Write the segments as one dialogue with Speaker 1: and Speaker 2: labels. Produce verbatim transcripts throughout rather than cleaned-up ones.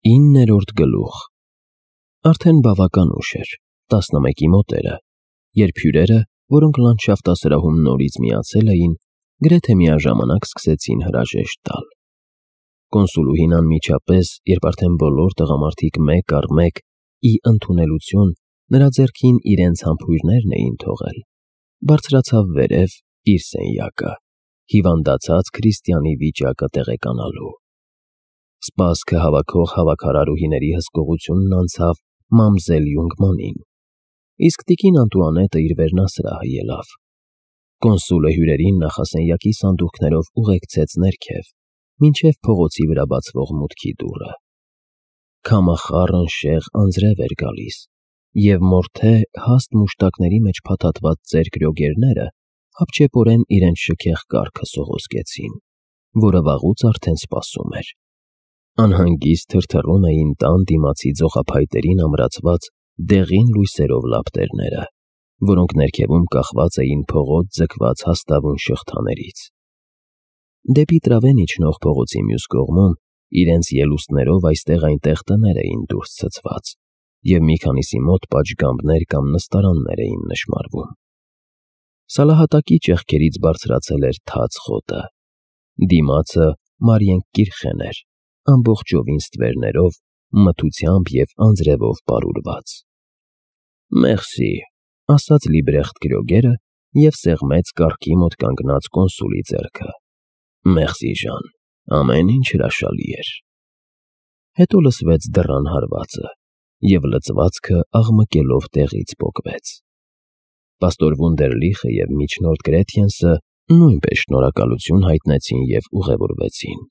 Speaker 1: Իններորդ գլուխ Արդեն բավական ուշ էր, տասնմեկի մոտերը, երբ հյուրերը, որոնք լանդշաֆտասրահում նորից միացել էին, գրեթե միաժամանակ սկսեցին հրաժեշտ տալ։ Կոնսուլուհին անմիջապես, երբ արդեն բոլոր տղամարդիկ մեկ առ մեկ ի ընդունելություն նրա ձեռքին իրենց համբույրներն էին թողել, բարձրացավ վերև իր սենյակը, հիվանդացած Քրիստիանի վիճակը տեղեկանալու։ Սպասքը հավաքող հավաքարարուհիների հսկողությունն անցավ մամզել Յունգմանին, իսկ տիկին Անտուանետը իր վերնասրահը ելավ։ Կոնսուլը հյուրերին նախասենյակի սանդուղքներով ուղեկցեց ներքև, մինչև փողոցի վրա բացվող մուտքի դուռը։ Քամախառն շեղ անձրև էր գալիս, և մորթե հաստ մուշտակների մեջ փաթաթված ծեր գրոգերները հապճեպորեն իրենց շքեղ կառքը սողոսկեցին, որը վաղուց արդեն սպասում էր։ Անհանգիստ թրթռում էին տան դիմացի ձողափայտերին ամրացված դեղին լույսերով լապտերները, որոնք ներքևում կախված էին փողոց ձգված հաստավուն շղթաներից։ Դեպի տրավեն իջնող փողոցի մյուս կողմում իրենց ելուստներով այստեղ-այնտեղ տներ էին դուրս ցցված, և մի քանիսի մոտ պատշգամբներ կամ նստարաններ էին նշմարվում։ Սալահատակի ճեղքերից բարձրացել էր թաց խոտը, դիմացը Մարիենկիրխեն էր, ամբողջովին ստվերներով, մթությամբ և անձրևով պարուրված։ «Մերսի», ասաց Լիբրեխտ գրոգերը և սեղմեց կառքի մոտ կանգնած կոնսուլի ձեռքը։ «Մերսի, Ժան, ամեն ինչ հրաշալի էր»։ Հետո լսվեց դռան հարվածը, և լծվածքը աղմկելով տեղից պոկվեց։ Պաստոր Վունդերլիխը և միջնորդ Գրեթյենսը նույնպես շնորհակալություն հայտնեցին և ուղևորվեցին։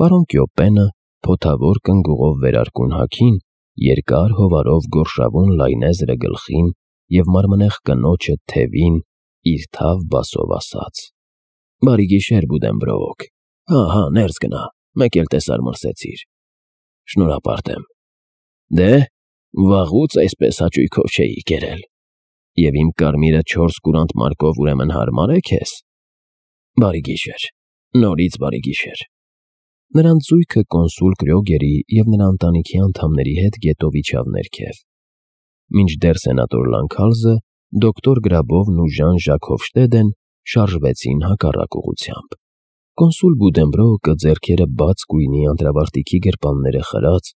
Speaker 1: Պարոն Կյոպենը, փոթավոր կնգուղով վերարկուն հագին, երկար հովարով գորշավուն լայնեզրը գլխին և մարմնեղ կնոջը թևին, իր թավ բասով ասաց. «Բարի գիշեր, Բուդենբրոուք, հա, հա, ներս գնա, մեկ էլ տեսար մրսեցիր։ Շնորհապարտ եմ։ Դե, վաղուց այսպես հաճույքով չէի կերել։ Եվ իմ կարմիրը չորս կուրանտ մարկով ուրեմն հարմար է քեզ։ Բարի գիշեր, նորից բարի գիշեր»։ Նրանց զույգը կոնսուլ Կրյոգերի և նրա ընտանիքի անդամների հետ գետով իջավ ներքև, մինչդեռ սենատոր Լանքալզը, դոկտոր Գրաբովն ու Ժան֊Ժակ Հոֆշտեդեն շարժվեցին հակառակ ուղղությամբ։ Կոնսուլ Բուդենբրոուկը, ձեռքերը բաց գույնի անտրավարտիքի գրպանները խրած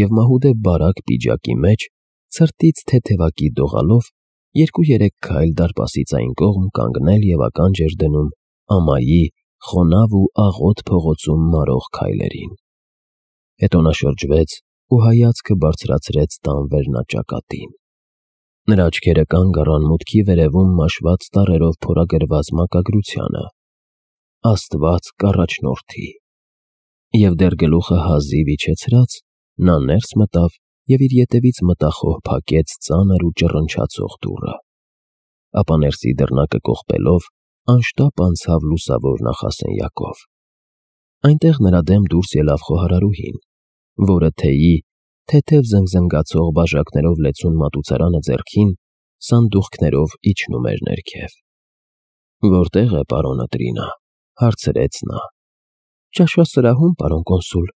Speaker 1: և մահուդե բարակ պիջակի մեջ, ցրտից թեթևակի դողալով, երկու֊երեք քայլ դարպասից այն կողմ կանգնել և ականջ էր դնում ամայի, խոնավ ու աղոտ փողոցում մարող քայլերին։ Հետո նա շրջվեց ու հայացքը բարձրացրեց տան վերնաճակատին։ Նրա աչքերը կանգ առան մուտքի վերևում մաշված տառերով փորագրված մակագրությանը. «Աստված կառաջնորդի»։ Եվ դեռ գլուխը հազիվ իջեցրած, նա ներս մտավ և իր ետևից մտախոհ փակեց ծանր ու ճռնչացող դուռը։ Ապա ներսի դռնակը կողպելով անշտապ անցավ լուսավոր նախասենյակով։ Այնտեղ նրա դեմ դուրս ելավ խոհարարուհին, որը թեյի, թեթև զնգզնգացող բաժակներով լեցուն մատուցարանը ձեռքին, սանդուղքներով իջնում էր ներքև։ «Որտե՞ղ է պարոնը Տրինա», հարցրեց նա։ «Ճաշասրահում, պարոն կոնսուլ»։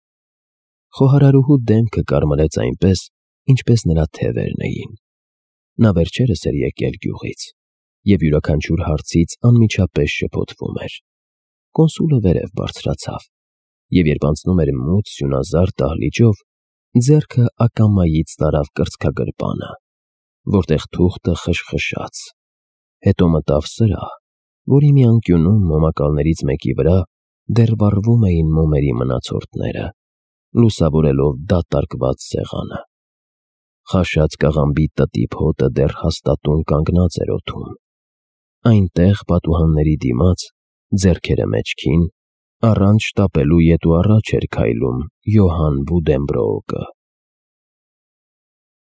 Speaker 1: Խոհարարուհու դեմքը կարմրեց այնպես, ինչպես նրա թևերն էին։ Նա վերջերս էր եկել գյուղից, և յուրաքանչյուր հարցից անմիջապես շփոթվում էր։ Կոնսուլը վերև բարձրացավ, և երբ անցնում էր մութ սյունազարդ դահլիճով, ձեռքը ակամայից տարավ կրծքագրպանը, որտեղ թուղթը խշխշաց։ Հետո մտավ սրահ, որի մի անկյունում մոմակալներից մեկի վրա դեռ վառվում էին մոմերի մնացորդները, լուսավորելով դատարկված սեղանը։ Խաշած կաղամբի տտիպ հոտը դեռ հաստատուն կանգնած էր օդում։ Այնտեղ, պատուհանների դիմաց, ձեռքերը մեջքին, առանց շտապելու ետ ու առաջ էր քայլում Յոհան Բուդենբրոուկը։